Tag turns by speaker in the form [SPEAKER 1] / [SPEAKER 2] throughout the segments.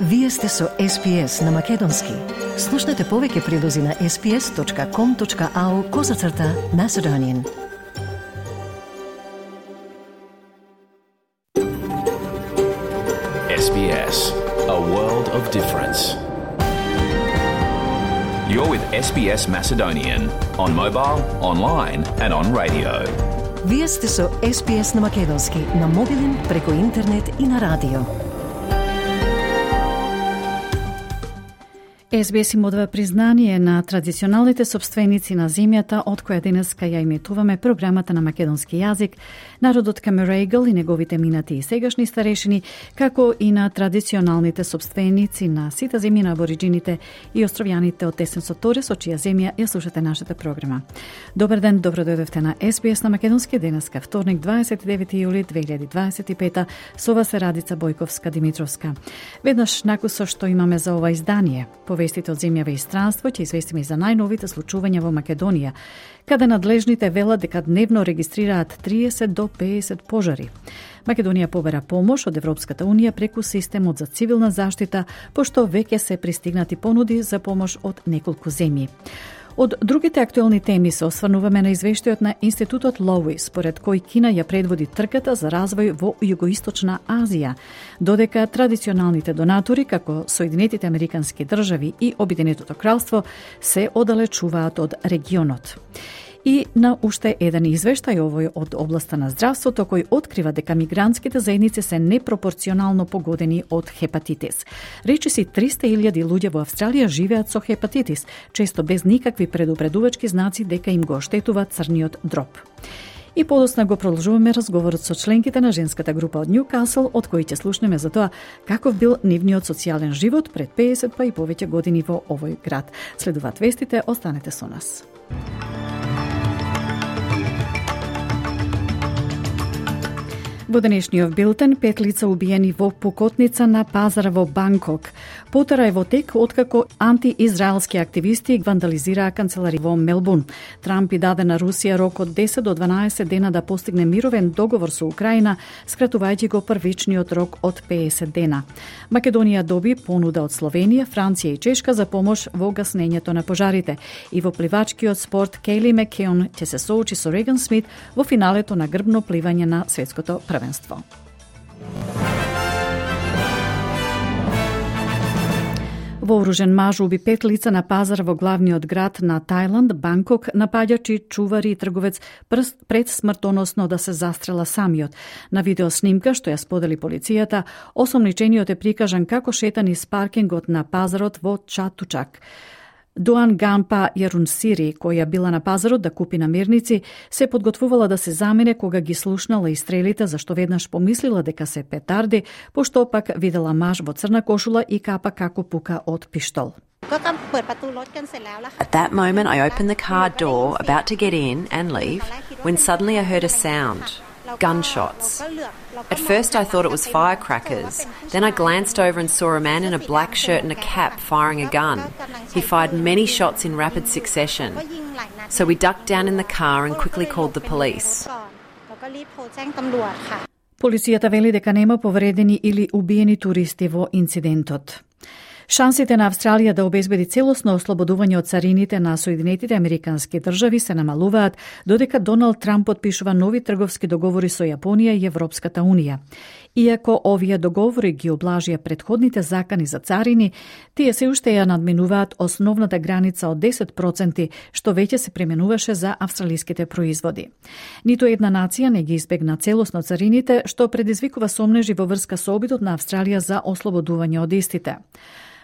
[SPEAKER 1] Вие сте со SPS на Македонски. Слушнете повеќе прилози на sps.com.au/Macedonian.
[SPEAKER 2] SBS, a world of difference. You're with SBS Macedonian on mobile, online and on radio.
[SPEAKER 1] Вие сте со SPS на Македонски на мобилен, преку интернет и на радио.
[SPEAKER 3] SBS им одва признание на традиционалните собственици на земјата, од која денеска ја иметуваме програмата на македонски јазик, народот Камерейгл и неговите минати и сегашни старешини, како и на традиционалните собственици на сите земји на абориджините и островјаните од Тесен Соторе, со чија земја ја слушате нашата програма. Добар ден, добро дојдовте на SBS на македонски денеска, вторник 29 јули 2025, со вас е Радица Бојковска-Димитровска. Веднаш накусо што имаме за ова издание, вестите од земјава и странство, ќе известиме за најновите случувања во Македонија, каде надлежните велат дека дневно регистрираат 30 до 50 пожари. Македонија побера помош од Европската Унија преку системот за цивилна заштита, пошто веќе се пристигнати понуди за помош од неколку земји. Од другите актуелни теми се осврнуваме на извештајот на Институтот Лоуис, според кој Кина ја предводи трката за развој во Југоисточна Азија, додека традиционалните донатори, како Соединетите Американски држави и Обединетото кралство, се оддалечуваат од регионот. И на уште еден извештај, овој од областа на здравството, кој открива дека мигрантските заедници се непропорционално погодени од хепатитис. Речиси 300.000 луѓе во Австралија живеат со хепатитис, често без никакви предупредувачки знаци дека им го оштетува црниот дроб. И подосна го продолжуваме разговорот со членките на женската група од Ньюкасл, од кои ќе слушнеме за тоа каков бил нивниот социјален живот пред 50 па и повеќе години во овој град. Следуваат вестите, останете со нас. Во денешниот билтен, 5 лица убиени во пукотница на пазара во Банкок. Потера е во тек откако антиизраелски активисти вандализираа канцелари во Мелбурн. Трамп и даде на Русија рок од 10 до 12 дена да постигне мировен договор со Украина, скратувајќи го првичниот рок од 50 дена. Македонија доби понуда од Словенија, Франција и Чешка за помош во гаснењето на пожарите. И во пливачкиот спорт Кейли Макеон ќе се соочи со Реган Смит во финалето на грбно пливање на светското првенство. Вооружен маж уби 5 лица на пазар во главниот град на Тајланд, Банкок, напаѓачи, чувари и трговец пред смртоносно да се застрела самиот. На видеоснимка што ја сподели полицијата, осомничениот е прикажан како шета низ паркингот на пазарот во Чатучак. Дуан Гампа Јарунсири, која била на пазарот да купи намирници, се подготвувала да се замине кога ги слушнала и стрелите, зашто веднаш помислила дека се петарди, пошто пак видела маж во црна кошула и капа како пука од пиштол.
[SPEAKER 4] At that moment, I opened the car door, about to get in and leave, when suddenly I heard a sound. Gunshots. At first I thought it was firecrackers. Then I glanced over and saw a man in a black shirt and a cap firing a gun. He fired many shots in rapid succession. So we ducked down in the car and quickly called the police.
[SPEAKER 3] Полицијата вели дека нема повредени или убиени туристи во инцидентот. Шансите на Австралија да обезбеди целосно ослободување од царините на Соединетите Американски држави се намалуваат, додека Доналд Трамп подпишува нови трговски договори со Јапонија и Европската Унија. Иако овие договори ги облажија предходните закани за царини, тие се уште ја надминуваат основната граница од 10%, што веќе се применуваше за австралиските производи. Ниту една нација не ги избегна целосно царините, што предизвикува сомнежи во врска со обидот на Австралија за ослободување од истите.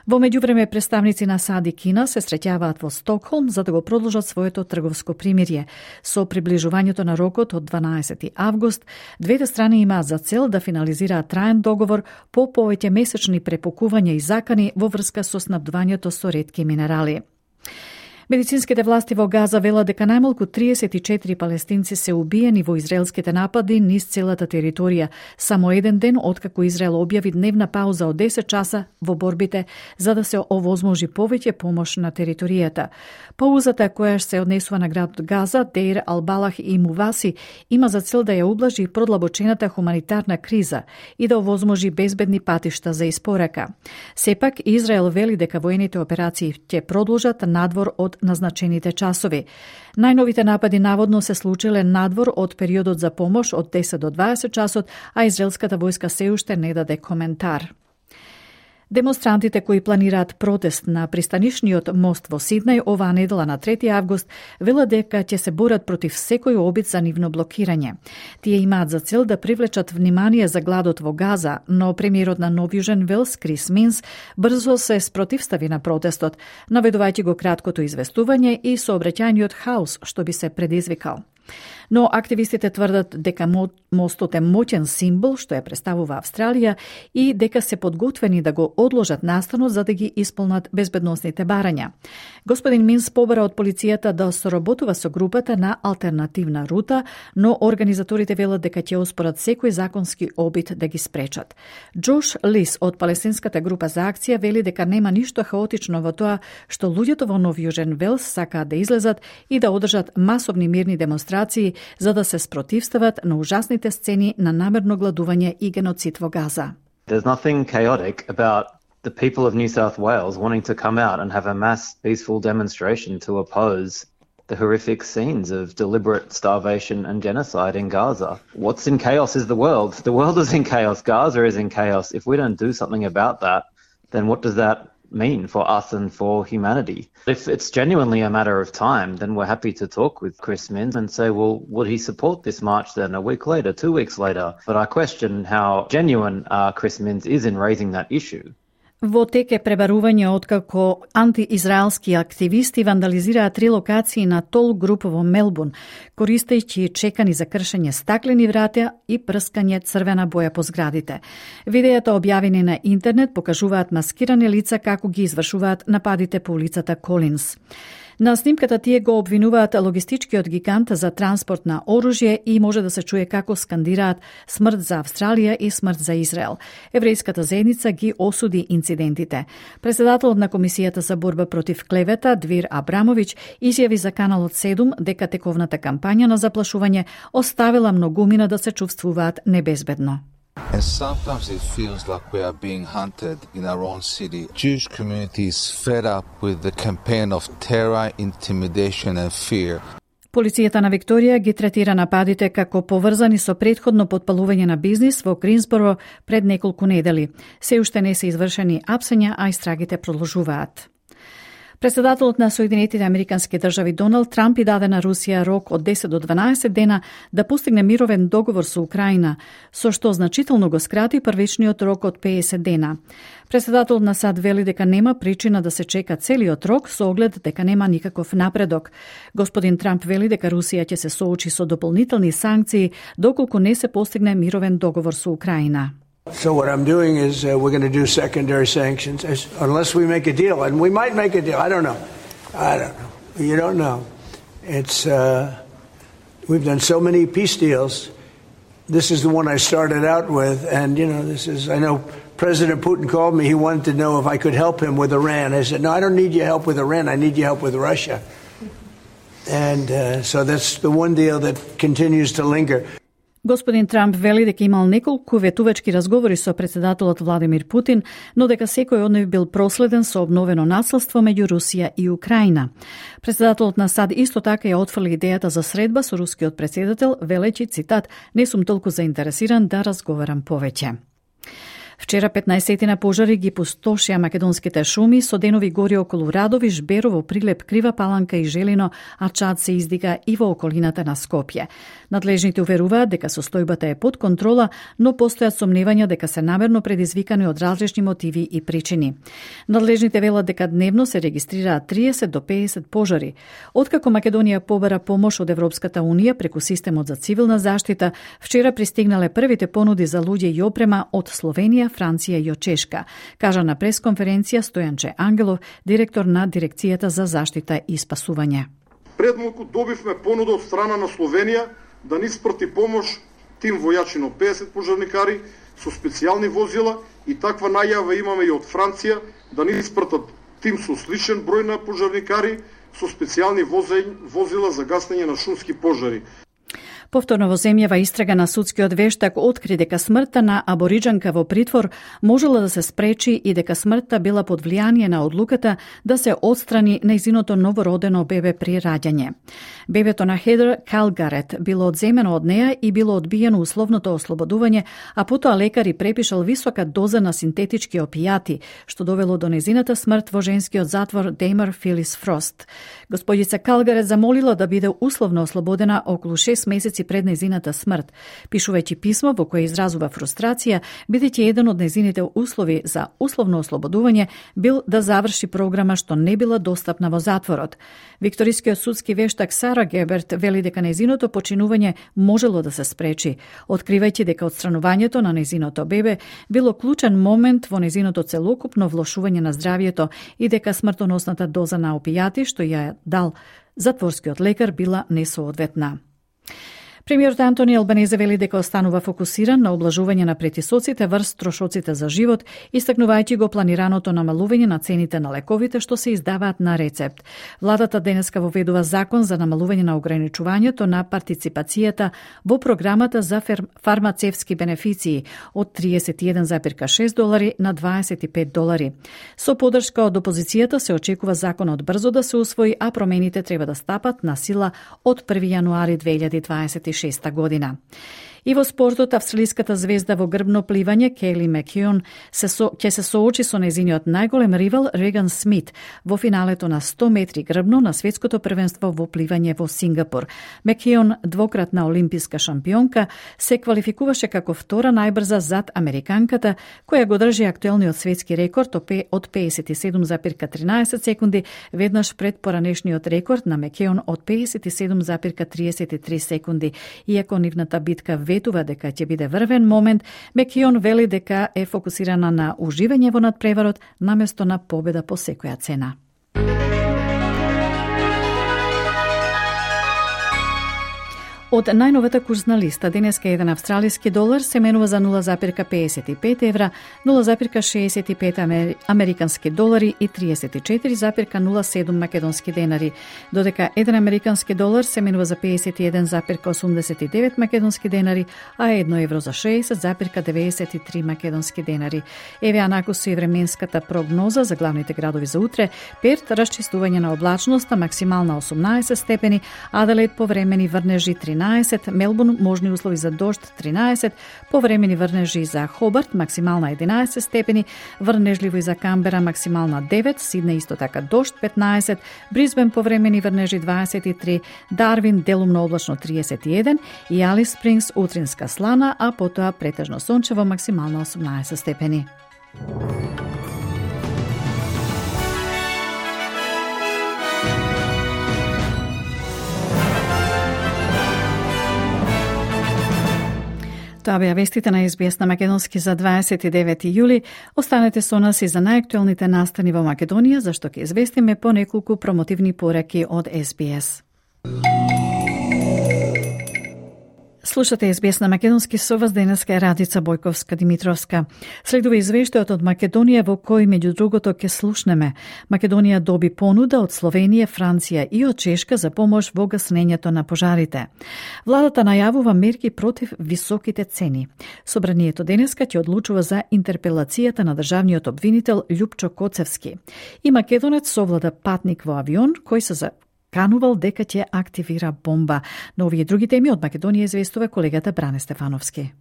[SPEAKER 3] Во меѓувреме, представници на САД и Кина се среќаваат во Стокхолм за да го продолжат своето трговско примирие. Со приближувањето на рокот од 12 август, двете страни имаат за цел да финализираат траен договор по повеќе месечни препукувања и закани во врска со снабдувањето со ретки минерали. Медицинските власти во Газа велат дека најмалку 34 палестинци се убиени во израелските напади низ целата територија, само еден ден откако Израел објави дневна пауза од 10 часа во борбите за да се овозможи повеќе помош на територијата. Паузата која се однесува на градот Газа, Деир Ал-Балах и Муваси има за цел да ја ублажи продлабочената хуманитарна криза и да овозможи безбедни патишта за испорака. Сепак, Израел вели дека воените операции ќе продолжат надвор од назначените часови. Најновите напади наводно се случиле надвор од периодот за помош од 10 до 20 часот, а израелската војска се уште не даде коментар. Демонстрантите кои планираат протест на пристанишниот мост во Сиднеј оваа недела на 3 август велат дека ќе се борат против секој обид за нивно блокирање. Тие имаат за цел да привлечат внимание за гладот во Газа, но премиерот на Нов Јужен Велс, Крис Минс, брзо се спротивстави на протестот, наведувајќи го краткото известување и сообраќајниот хаос што би се предизвикал. Но активистите тврдат дека мостот е моќен символ што ја представува Австралија и дека се подготвени да го одложат настанот за да ги исполнат безбедносните барања. Господин Минс побара од полицијата да соработува со групата на алтернативна рута, но организаторите велат дека ќе оспорат секој законски обид да ги спречат. Джош Лис од палестинската група за акција вели дека нема ништо хаотично во тоа што луѓето во Нов Јужен Велс сакаат да излезат и да одржат масовни мирни демонстрации за да се спротивстават на ужасните сцени на намерно гладување и геноцид во Газа.
[SPEAKER 5] There's nothing chaotic about the people of New South Wales wanting to come out and have a mass peaceful demonstration to oppose the horrific scenes of deliberate starvation and genocide in Gaza. What's in chaos is the world. The world is in chaos. Gaza is in chaos. If we don't do something about that, then what does that mean for us and for humanity? If it's genuinely a matter of time, then we're happy to talk with Chris Minns and say, well, would he support this march then a week later, 2 weeks later? But I question how genuine Chris Minns is in raising that issue.
[SPEAKER 3] Во тек е пребарување откако антиизраелски активисти вандализираат 3 локации на тол груп во Мелбурн, користејќи чекани за кршење стаклени врата и прскање црвена боја по зградите. Видеата објавени на интернет покажуваат маскирани лица како ги извршуваат нападите по улицата Колинс. На снимката тие го обвинуваат логистичкиот гигант за транспорт на оружје и може да се чуе како скандираат смрт за Австралија и смрт за Израел. Еврејската заедница ги осуди инцидентите. Председателот на Комисијата за борба против клевета Двир Абрамовиќ изјави за Каналот 7 дека тековната кампања на заплашување оставила многумина да се чувствуваат небезбедно.
[SPEAKER 6] And sometimes it feels like we are being hunted in our own city. Jewish community is fed up with the campaign of terror, intimidation and fear.
[SPEAKER 3] Полицијата на Викторија ги третира нападите како поврзани со претходно потпалување на бизнис во Гринсборо пред неколку недели. Се уште не се извршени апсења, а истрагите продолжуваат. Председателот на Соединетите Американски држави Доналд Трамп и даде на Русија рок од 10 до 12 дена да постигне мировен договор со Украина, со што значително го скрати првичниот рок од 50 дена. Председателот на САД вели дека нема причина да се чека целиот рок со оглед дека нема никаков напредок. Господин Трамп вели дека Русија ќе се соочи со дополнителни санкции доколку не се постигне мировен договор со Украина.
[SPEAKER 7] So what I'm doing is we're going to do secondary sanctions unless we make a deal, and we might make a deal. I don't know. You don't know. It's we've done so many peace deals. This is the one I started out with, and I know President Putin called me. He wanted to know if I could help him with Iran. I said, no, I don't need your help with Iran. I need your help with Russia. And so that's the one deal that continues to linger.
[SPEAKER 3] Господин Трамп вели дека имал неколку ветувачки разговори со председателот Владимир Путин, но дека секој од нив бил проследен со обновено насилство меѓу Русија и Украина. Председателот на САД исто така ја отфрли идејата за средба со рускиот председател, велејќи, цитат, не сум толку заинтересиран да разговарам повеќе. Вчера 15 пожари ги пустошија македонските шуми со денови гори околу Радовиш, Берово, Прилеп, Крива Паланка и Желино, а чад се издига и во околината на Скопје. Надлежните уверуваат дека состојбата е под контрола, но постојат сомневања дека се намерно предизвикани од различни мотиви и причини. Надлежните велат дека дневно се регистрираат 30 до 50 пожари. Откако Македонија побара помош од Европската Унија преку системот за цивилна заштита, вчера пристигнале првите понуди за луѓе и опрема од Словенија, Франција и од Чешка, кажа на пресконференција Стојанче Ангелов, директор на Дирекцијата за заштита и спасување.
[SPEAKER 8] Пред малку добивме понуда од страна на Словенија да ни испрати помош тим војачи на 50 пожарникари со специјални возила и таква најава имаме и од Франција да ни испратат тим со сличен број на пожарникари со специјални возила за гаснење на шумски пожари.
[SPEAKER 3] Повторно во земјава истрага на судскиот вештак откри дека смртта на абориџанка во притвор можела да се спречи и дека смртта била под влијание на одлуката да се отстрани нејзиното новородено бебе при раѓање. Бебето на Хедер Калгарет било одземено од неа и било одбиено условното ослободување, а потоа лекари препишал висока доза на синтетички опијати, што довело до нејзината смрт во женскиот затвор Деймер Филис Фрост. Господица Калгарет замолила да биде условно ослободена околу 6 месеци пред нејзината смрт, пишувајќи писмо во кое изразува фрустрација, бидејќи еден од нејзините услови за условно ослободување бил да заврши програма што не била достапна во затворот. Викторискиот судски вештак Сара Геберт вели дека нејзиното починување можело да се спречи, откривајќи дека отстранувањето на нејзиното бебе било клучен момент во нејзиното целокупно влошување на здравјето и дека смртоносната доза на опијати што ја дал затворскиот лекар била несоодветна. Премиерот Антони Албанезе вели дека останува фокусиран на облажување на претисоците врз трошоците за живот, истакнувајќи го планираното намалување на цените на лековите што се издаваат на рецепт. Владата денеска воведува закон за намалување на ограничувањето на партиципацијата во програмата за фармацевски бенефиции од $31,6 на $25. Со подршка од опозицијата се очекува законот брзо да се усвои, а промените треба да стапат на сила од 1 јануари 2026 година. И во спортот, австралиската звезда во грбно пливање Кейли Макеон ќе се соочи со нејзиниот најголем ривал Реган Смит во финалето на 100 метри грбно на светското првенство во пливање во Сингапур. Макеон, двократна олимписка шампионка, се квалификуваше како втора најбрза зад американката, која го држи актуелниот светски рекорд од 57,13 секунди, веднаш пред поранешниот рекорд на Макеон од 57,33 секунди. Иако нивната битка ветува дека ќе биде врвен момент, Макеон вели дека е фокусирана на уживање во надпреварот наместо на победа по секоја цена. Од најновата курсна листа, денеска еден австралиски долар се менува за 0,55 евра, 0,65 американски долари и 34,07 македонски денари, додека еден американски долар се менува за 51,89 македонски денари, а 1 евро за 60,93 македонски денари. Еве анакусу и временската прогноза за главните градови за утре: Перт расчистување на облачноста, максимална 18 степени, Аделаид повремени врнежи 13, Мелбурн можни услови за дожд 13, повремени врнежи за Хобарт, максимална 11 степени, врнежливо и за Камбера, максимална 9, Сиднеј исто така дожд 15, Брисбен повремени врнежи 23, Дарвин делумно облачно 31 и Алис Спрингс утринска слана, а потоа претежно сончево, максимална 18 степени. Тоа беа вестите на СБС на македонски за 29 јули. Останете со нас и за најактуелните настани во Македонија, зашто ќе известиме по неколку промотивни пораки од СБС. Слушате СБС на македонски, со вас денеска е Радица Бојковска-Димитровска. Следува извештајот од Македонија во кој меѓу другото ќе слушнеме. Македонија доби понуда од Словенија, Франција и од Чешка за помош во гаснењето на пожарите. Владата најавува мерки против високите цени. Собранието денеска ќе одлучува за интерпелацијата на државниот обвинител Љупчо Коцевски. И македонец совлада патник во авион кој се канувал дека ќе активира бомба. На овие други теми од Македонија известува колегата Бране Стефановски.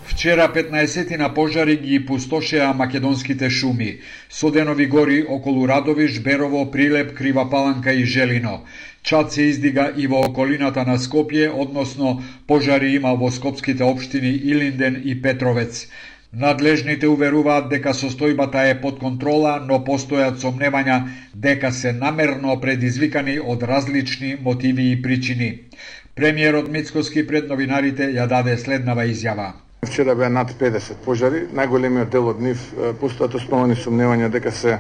[SPEAKER 9] Вчера 15 пожари ги пустошеа македонските шуми. Соденови гори околу Радовиш, Берово, Прилеп, Крива Паланка и Желино. Чад се издига и во околината на Скопје, односно пожари има во скопските општини Илинден и Петровец. Надлежните уверуваат дека состојбата е под контрола, но постојат сомневања дека се намерно предизвикани од различни мотиви и причини. Премиерот Мицкоски пред новинарите ја даде следнава изјава.
[SPEAKER 8] Вчера беа над 50 пожари, најголемиот дел од нив постојат основани сомневања дека се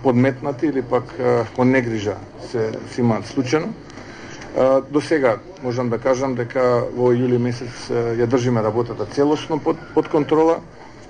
[SPEAKER 8] подметнати или пак по негрижа се имаат случајно. До сега можам да кажам дека во јули месец ја држиме работата целосно под контрола.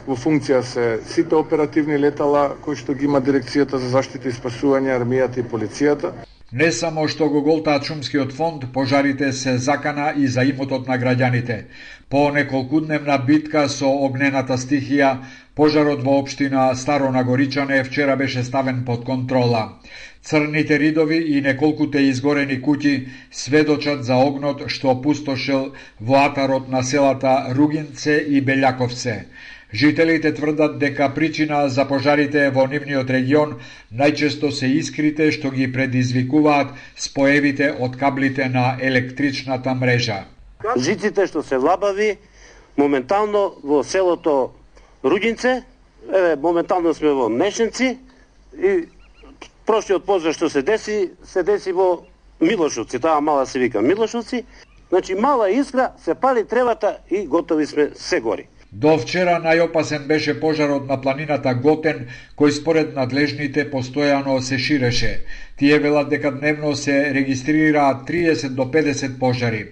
[SPEAKER 8] Во функција се сите оперативни летала кои што ги има Дирекцијата за заштита и спасување, армијата и полицијата.
[SPEAKER 9] Не само што го голтаат шумскиот фонд, пожарите се закана и за имотот на граѓаните. По неколкудневна битка со огнената стихија, пожарот во општина Старо Нагоричане вчера беше ставен под контрола. Црните ридови и неколкуте изгорени куќи сведочат за огнот што пустошел во атарот на селата Ругинце и Белјаковце. Жителите тврдат дека причина за пожарите во нивниот регион најчесто се искрите што ги предизвикуваат споевите од каблите на електричната мрежа.
[SPEAKER 10] Жиците што се лабави, моментално во селото Ругинце, моментално сме во Мешенци и прошлиот пожар што се деси во Милошовци, таа мала се вика Милошовци, значи мала искра, се пали тревата и готови сме, се гори.
[SPEAKER 9] До вчера најопасен беше пожарот на планината Готен, кој според надлежните постојано се ширеше. Тие велат дека дневно се регистрираат 30 до 50 пожари.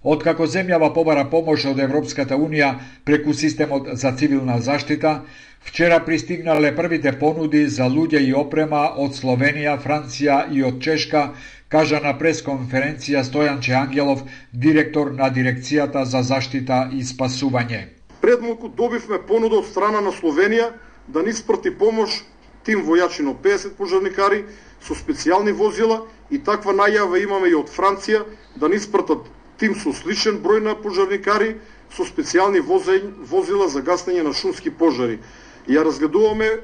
[SPEAKER 9] Откако земјава побара помош од Европската Унија преку системот за цивилна заштита, вчера пристигнале првите понуди за луѓе и опрема од Словенија, Франција и од Чешка, кажа на пресконференција Стојанче Ангелов, директор на Дирекцијата за заштита и спасување.
[SPEAKER 8] Пред малку добивме понуда од страна на Словенија да ни спрати помош тим војачино 50 пожарникари со специјални возила и таква најава имаме и од Франција да ни спртат тим со сличен број на пожарникари со специјални возила за гаснење на шумски пожари. Ја разгледуваме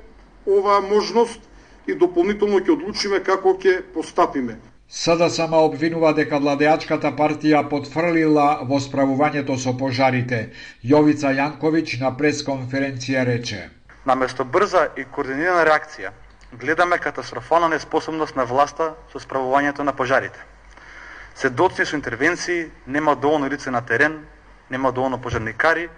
[SPEAKER 8] оваа можност и дополнително ќе одлучиме како ќе постапиме.
[SPEAKER 9] СДСМ обвинува дека владеачката партија потфрлила во справувањето со пожарите. Јовица Јанковиќ на пресконференција рече:
[SPEAKER 11] Наместо брза и координирана реакција, гледаме катастрофална неспособност на власта со справувањето на пожарите. Се доцни со интервенции, нема доволно лице на терен, нема доволно пожарникари,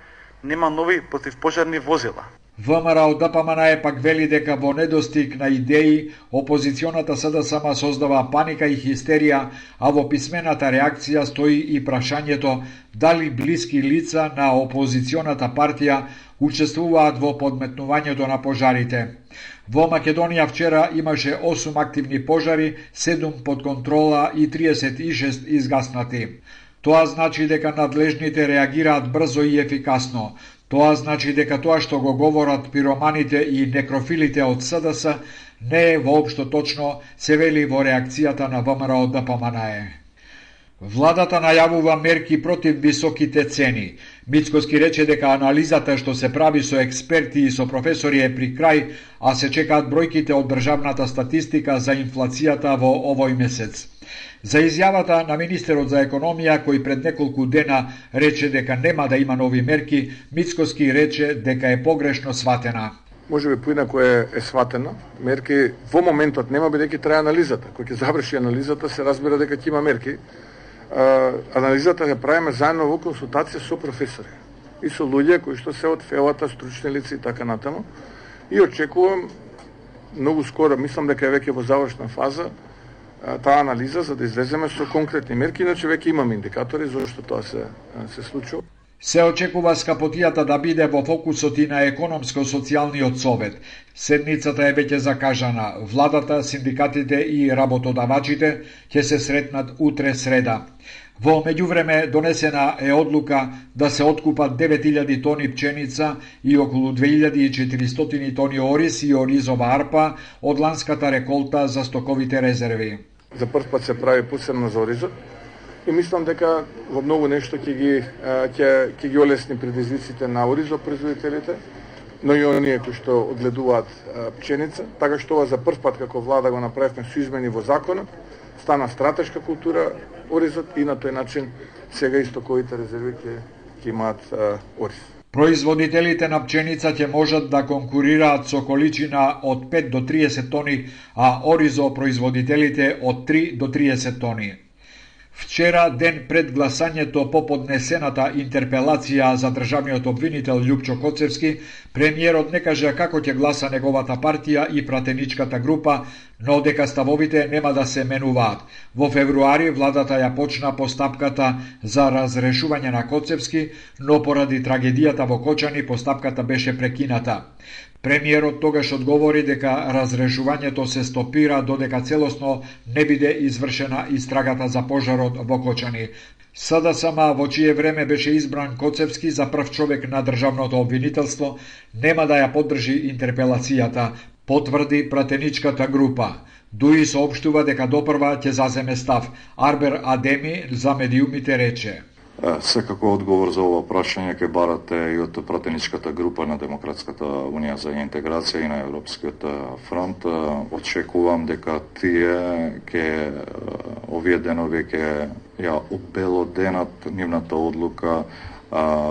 [SPEAKER 11] нема нови противпожарни возила.
[SPEAKER 9] ВМРО ДПМН пак вели дека во недостиг на идеи, опозиционата СДСМ создава паника и хистерија, а во писмената реакција стои и прашањето дали блиски лица на опозиционата партија учествуваат во подметнувањето на пожарите. Во Македонија вчера имаше 8 активни пожари, 7 под контрола и 36 изгаснати. Тоа значи дека надлежните реагираат брзо и ефикасно. Тоа значи дека тоа што го говорат пироманите и некрофилите од СДС не е воопшто точно, се вели во реакцијата на ВМРО ДПМН. Владата најавува мерки против високите цени. Мицкоски рече дека анализата што се прави со експерти и со професори е при крај, а се чекаат бројките од државната статистика за инфлацијата во овој месец. За изјавата на министерот за економија, кој пред неколку дена рече дека нема да има нови мерки, Мицкоски рече дека е погрешно сватена.
[SPEAKER 8] Може би поинако е сватена. Мерки во моментот нема, бидејќи трае анализата. Кој ќе заврши анализата, се разбира дека ќе има мерки. Анализата ја правиме заедно во консултација со професори и со луѓе кои што се од фелата, стручни лица и така натаму. И очекувам многу скоро, мислам дека е веќе во завршна фаза, таа анализа за да излеземе со конкретни мерки, иначе веќе имаме индикатори зашто тоа се случува.
[SPEAKER 9] Се очекува скапотијата да биде во фокусот и на економско-социјалниот совет. Седницата е веќе закажана. Владата, синдикатите и работодавачите ќе се сретнат утре среда. Во меѓувреме донесена е одлука да се откупат 9000 тони пченица и околу 2400 тони ориз и оризова арпа од ланската реколта за стоковите резерви.
[SPEAKER 8] За прв пат се прави посебно за оризот и мислам дека во многу нешто ќе ги олесни предизвиците на оризопроизводителите, но и оние кои што одгледуваат пченица, така што ова за прв пат како влада го направивме со измени во законот, стана стратешка култура оризот и на тој начин сега и стоковите резерви ќе имаат ориз.
[SPEAKER 9] Производителите на пченица ќе можат да конкурираат со количина од 5 до 30 тони, а оризо производителите од 3 до 30 тони. Вчера, ден пред гласањето по поднесената интерпелација за државниот обвинител Љупчо Коцевски, премиерот не кажа како ќе гласа неговата партија и пратеничката група, но дека ставовите нема да се менуваат. Во февруари владата ја почна постапката за разрешување на Коцевски, но поради трагедијата во Кочани постапката беше прекината. Премиерот тогаш одговори дека разрешувањето се стопира додека целосно не биде извршена истрагата за пожарот во Кочани. СДСМ, во чие време беше избран Коцевски за прв човек на државното обвинителство, нема да ја поддржи интерпелацијата, потврди пратеничката група. Дуи соопштува дека допрва ќе заземе став. Арбер Адеми за медиумите рече:
[SPEAKER 12] Секако одговор за ова прашање ќе барате и од пратеничката група на Демократската унија за интеграција и на Европскиот фронт. Очекувам дека тие ќе овие денови ќе ја обелоденат нивната одлука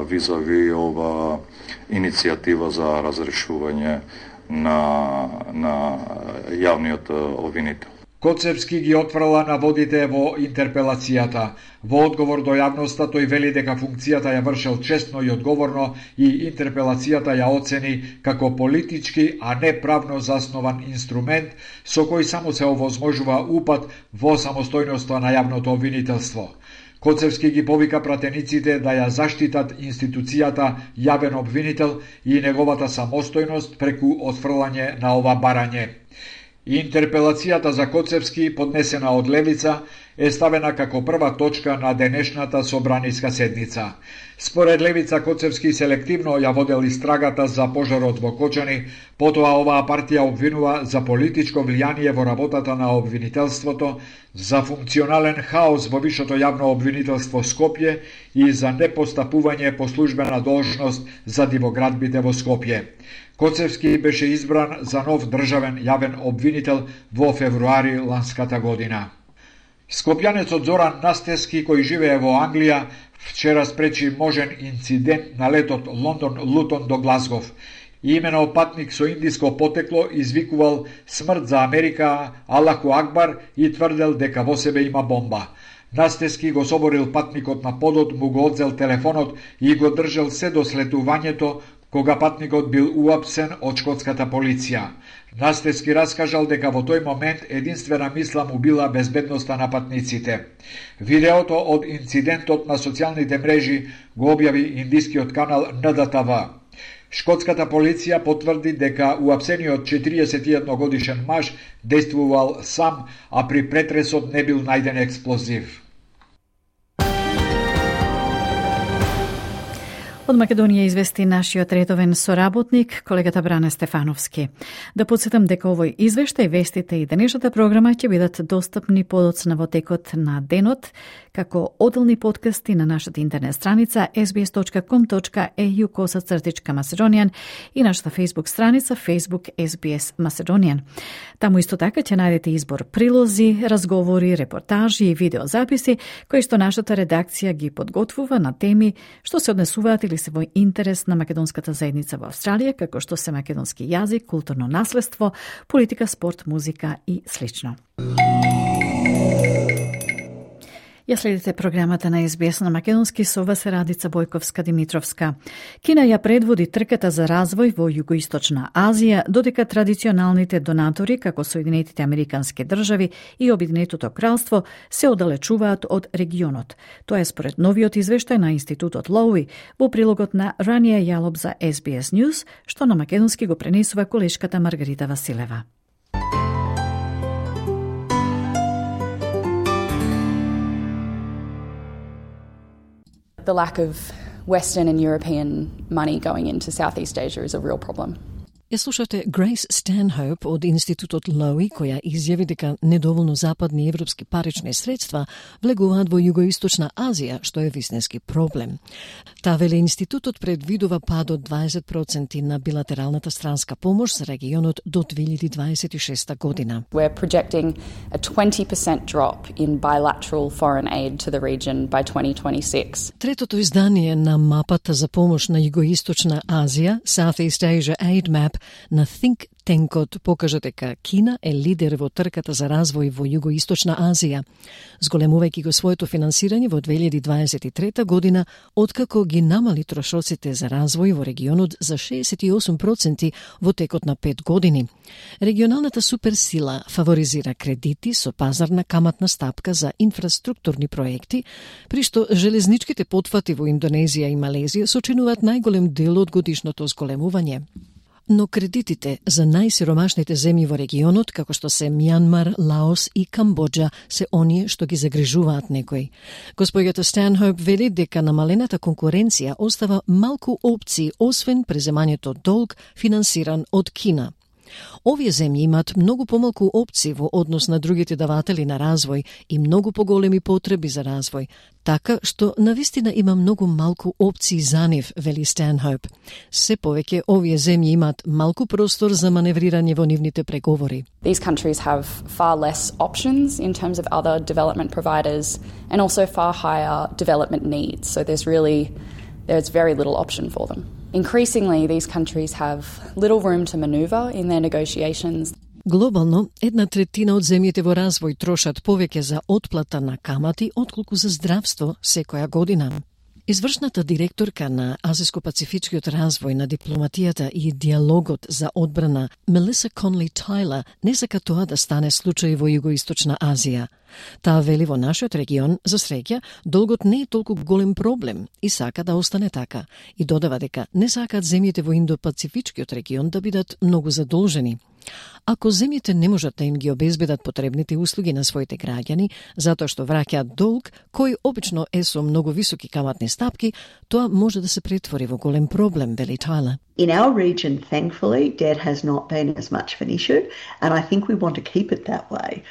[SPEAKER 12] визави ова иницијатива за разрешување на јавниот обвинител.
[SPEAKER 9] Коцевски ги отфрла наводите во интерпелацијата. Во одговор до јавноста тој вели дека функцијата ја вршел честно и одговорно и интерпелацијата ја оцени како политички, а не правно заснован инструмент со кој само се овозможува упат во самостојноста на јавното обвинителство. Коцевски ги повика пратениците да ја заштитат институцијата јавен обвинител и неговата самостојност преку отфрлање на ова барање. Интерпелацијата за Коцевски, поднесена од Левица, е ставена како прва точка на денешната собраниска седница. Според Левица, Коцевски селективно ја водел истрагата за пожарот во Кочани, потоа оваа партија обвинува за политичко влијание во работата на обвинителството, за функционален хаос во вишето јавно обвинителство Скопје и за непостапување по службена должност за дивоградбите во Скопје. Коцевски беше избран за нов државен јавен обвинител во февруари ланската година. Скопјанецот Зоран Настески, кој живее во Англија, вчера спречи можен инцидент на летот Лондон-Лутон до Глазгов. Имено патник со индиско потекло извикувал смрт за Америка, Аллаху Акбар и тврдел дека во себе има бомба. Настески го соборил патникот на подот, му го одзел телефонот и го држал се до слетувањето, кога патникот бил уапсен од шкотската полиција. Настески раскажал дека во тој момент единствена мисла му била безбедноста на патниците. Видеото од инцидентот на социјалните мрежи го објави индискиот канал НДТВ. Шкотската полиција потврди дека уапсениот 41 годишен маж действувал сам, а при претресот не бил најден експлозив.
[SPEAKER 3] Од Македонија извести нашиот редовен соработник, колегата Бране Стефановски. Да подсетам дека овој извештај, вестите и денешната програма ќе бидат достапни подоцна во текот на денот, како одделни подкасти на нашата интернет страница sbs.com.au/Macedonian и нашата Facebook страница Facebook SBS Macedonian. Таму исто така ќе најдете избор прилози, разговори, репортажи и видеозаписи кои што нашата редакција ги подготвува на теми што се однесуваат или се во интерес на македонската заедница во Австралија, како што се македонски јазик, културно наследство, политика, спорт, музика и слично. Ја следите програмата на SBS на македонски со вас Радица Бојковска-Димитровска. Кина ја предводи трката за развој во Југоисточна Азија, додека традиционалните донатори, како Соединетите Американски држави и Обединетото кралство, се оддалечуваат од регионот. Тоа е според новиот извештај на Институтот Лоуи во прилогот на Ранија Јалоб за SBS News, што на македонски го пренесува колешката Маргарита Василева.
[SPEAKER 13] The lack of Western and European money going into Southeast Asia is a real problem.
[SPEAKER 1] Ја слушате Grace Stanhope од Институтот Lowy, која изјави дека недоволно западни европски парични средства влегуваат во Југоисточна Азија, што е вистински проблем. Таа вели институтот предвидува пад од 20% на билатералната странска помош за регионот до 2026 година.
[SPEAKER 14] We're projecting a 20% drop in bilateral foreign aid to the region by 2026.
[SPEAKER 1] Третото издание на мапата за помош на Југоисточна Азија, Southeast Asia Aid Map, на Think Tank-от покажа дека Кина е лидер во трката за развој во Југоисточна Азија, зголемувајќи го своето финансирање во 2023 година, откако ги намали трошоците за развој во регионот за 68% во текот на 5 години. Регионалната суперсила фаворизира кредити со пазарна каматна стапка за инфраструктурни проекти, при што железничките потфати во Индонезија и Малезија сочинуваат најголем дел од годишното зголемување. Но кредитите за најсиромашните земји во регионот, како што се Мјанмар, Лаос и Камбоџа, се оние што ги загрижуваат некој. Господјата Stanhope вели дека намалената конкуренција остава малку опции, освен преземањето долг финансиран од Кина. Овие земји имаат многу помалку опции во однос на другите даватели на развој и многу поголеми потреби за развој, така што навистина има многу малку опции за нив, вели Stanhope. Се повеќе овие земји имаат малку простор за маневрирање во нивните преговори.
[SPEAKER 14] These countries have far less options in terms of other development providers and also far higher development needs. So there's very little option for them. Increasingly, these countries have little room to maneuver in their negotiations.
[SPEAKER 1] Глобално, 1/3 од земјите во развој трошат повеќе за отплата на камати отколку за здравство секоја година. Извршната директорка на Азиско-пацифичкиот развој на дипломатијата и диалогот за одбрана Мелиса Конли Тайлер не сака тоа да стане случај во Југоисточна Азија. Таа вели во нашиот регион, за среќа, долгот не е толку голем проблем и сака да остане така. И додава дека не сакаат земјите во Индо-пацифичкиот регион да бидат многу задолжени. Ако земјите не можат да им ги обезбедат потребните услуги на своите граѓани, затоа што враќаат долг, кој обично е со многу високи каматни стапки, тоа може да се претвори во голем проблем, вели Тайлер.
[SPEAKER 15] In our region, thankfully, debt has not been as much of an issue, and I think we want to keep it that way.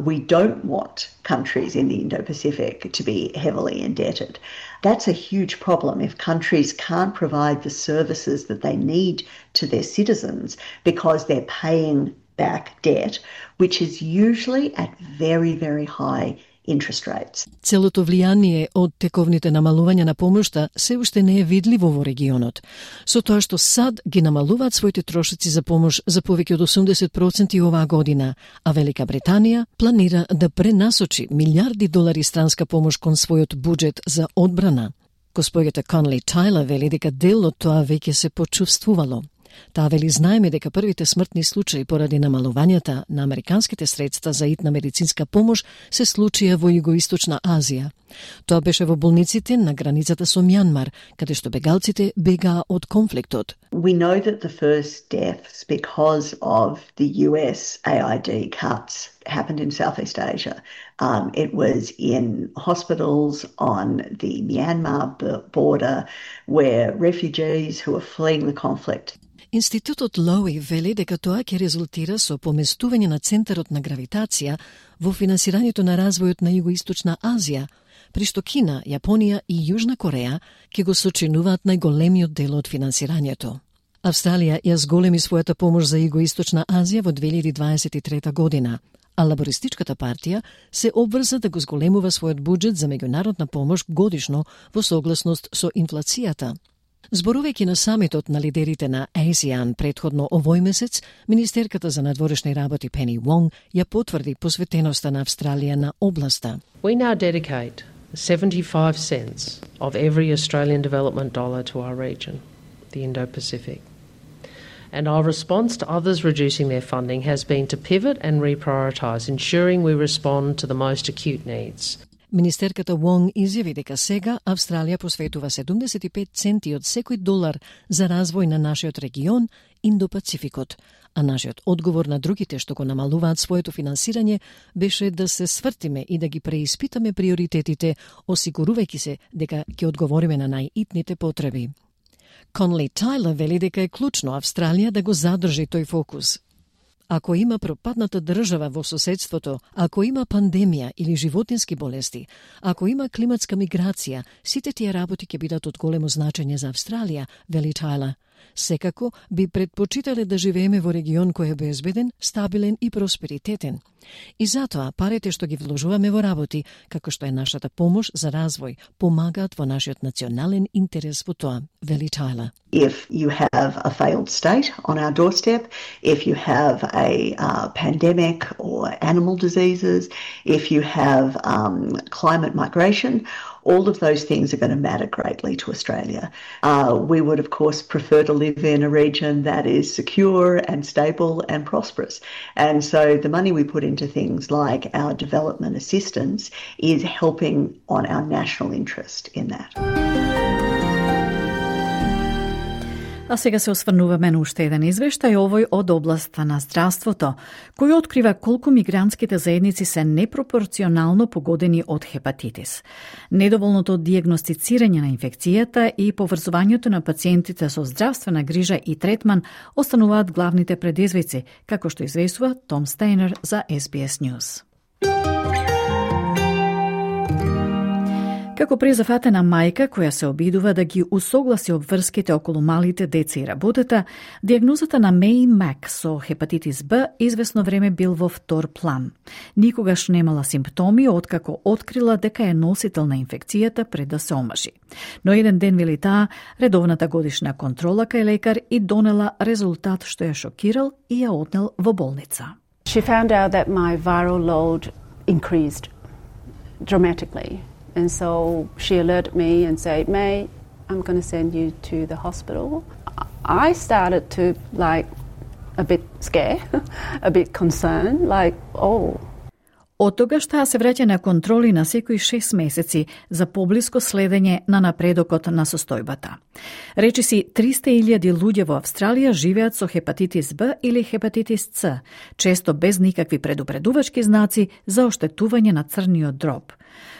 [SPEAKER 15] We don't want countries in the Indo-Pacific to be heavily indebted. That's a huge problem if countries can't provide the services that they need to their citizens because they're paying back debt, which is usually at very, very high interest rates.
[SPEAKER 1] Целото влијание од тековните намалувања на помошта се уште не е видливо во регионот. Со тоа што САД ги намалуваат своите трошоци за помош за повеќе од 80% оваа година, а Велика Британија планира да пренасочи милиарди долари странска помош кон својот буџет за одбрана. Господјата Конли Тайлер вели дека дел од тоа веќе се почувствувало. Таа вели знаеме дека првите смртни случаи поради намалувањата на американските средства за итна медицинска помош се случија во Југоисточна Азија. Тоа беше во болниците на границата со Мјанмар, каде што бегалците бегаа од конфликтот.
[SPEAKER 15] We know that the first deaths because of the US AID cuts happened in Southeast Asia. It was in hospitals on the Myanmar border where refugees who were fleeing the conflict.
[SPEAKER 1] Институтот Lowy вели дека тоа ќе резултира со поместување на центарот на гравитација во финансирањето на развојот на Југоисточна Азија, при што Кина, Јапонија и Јужна Кореја ќе го сочинуваат најголемиот дел од финансирањето. Австралија ја зголеми својата помош за Југоисточна Азија во 2023 година, а Лабористичката партија се обврза да го зголемува својот буџет за меѓународна помош годишно во согласност со инфлацијата. Зборувајќи на самитот на лидерите на ASEAN предходно овој месец, министерката за надворешни работи Пени Вонг ја потврди посветеноста на Австралија на областа.
[SPEAKER 16] We now dedicate 75 cents of every Australian development dollar to our region, the Indo-Pacific. And our response to others reducing their funding has been to pivot and reprioritise, ensuring we respond to the most acute needs.
[SPEAKER 1] Министерката Вонг изјави дека сега Австралија посветува 75 центи од секој долар за развој на нашиот регион, Индо-Пацификот, а нашиот одговор на другите што го намалуваат своето финансирање беше да се свртиме и да ги преиспитаме приоритетите, осигурувајќи се дека ќе одговориме на најитните потреби. Конли Тайлер вели дека е клучно Австралија да го задржи тој фокус. Ако има пропадната држава во соседството, ако има пандемија или животински болести, ако има климатска миграција, сите тие работи ќе бидат од големо значење за Австралија, вели Тайлер. Секако би предпочитале да живееме во регион кој е безбеден, стабилен и просперитетен. И затоа парите што ги вложуваме во работи, како што е нашата помош за развој, помагаат во нашиот национален интерес во тоа, вели Тайлер.
[SPEAKER 15] If you have a failed state on our doorstep, if you have a pandemic or animal diseases, if you have climate migration, all of those things are going to matter greatly to Australia. We would, of course, prefer to live in a region that is secure and stable and prosperous. And so the money we put into things like our development assistance is helping on our national interest in that.
[SPEAKER 3] А сега се осврнуваме на уште еден извештај, овој од областа на здравството, кој открива колку мигрантските заедници се непропорционално погодени од хепатитис. Недоволното дијагностицирање на инфекцијата и поврзувањето на пациентите со здравствена грижа и третман остануваат главните предизвици, како што известува Том Стейнер за SBS News. Како презафатена мајка која се обидува да ги усогласи обврските околу малите деца и работата, дијагнозата на Меј Мак со хепатитис Б извесно време бил во втор план. Никогаш немала симптоми откако открила дека е носител на инфекцијата пред да се омажи. Но еден ден, вели таа, редовната годишна контрола кај лекар и донела резултат што ја шокирал и ја однел во болница.
[SPEAKER 17] She found out that my viral load increased dramatically. And so she alerted me and said, May, I'm going to send you to the hospital. I started to a bit scared, a bit concerned, oh.
[SPEAKER 3] Од тогаш таа се враќа на контроли на секои 6 месеци за поблиско следење на напредокот на состојбата. Речиси 300.000 луѓе во Австралија живеат со хепатитис Б или хепатитис С, често без никакви предупредувачки знаци за оштетување на црниот дроб.